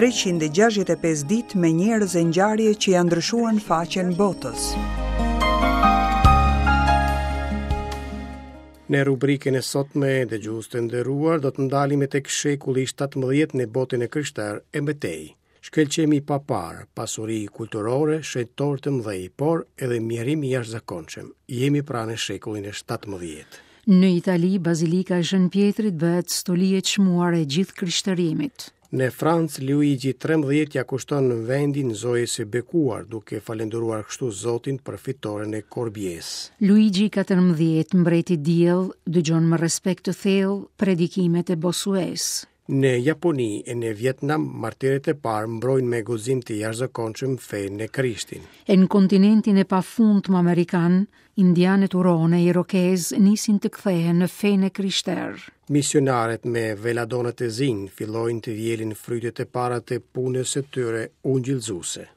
365 ditë me njerëz e ngjarje që ia ndryshuan faqen botës. Në rubrikën e sotme, dëgjues të nderuar, do të ndalemi tek shekulli i 17 në botën e krishterë e më tej. Shkëlqim i paparë, pasuri kulturore, shenjtorë të mëdhenj, por edhe mjerim i jashtëzakonshëm. Jemi pra në shekullin e 17. Në Itali, Bazilika e Shën Pjetrit bëhet stoli e çmuar e gjithë krishterimit. Në Francë, Luigi 13 ia kushton vendin Zojës së Bekuar, duke falënderuar kështu Zotin për fitoren e Korbies. Luigi 14, mbreti diell, dëgjon me respekt të thellë predikimet e Bosuesë. Në Japoni e në Vietnam, martirët e parë mbrojnë me guxim të jashtëzakonshëm fenë e Krishtin. E në kontinentin e pafundmë amerikan, indianët huronë e irokezë nisin të kthehen në fenë e krishterë. Misionarët me veladonët e zinj fillojnë të vjelin frytet e para të punës së tyre ungjillëzuese.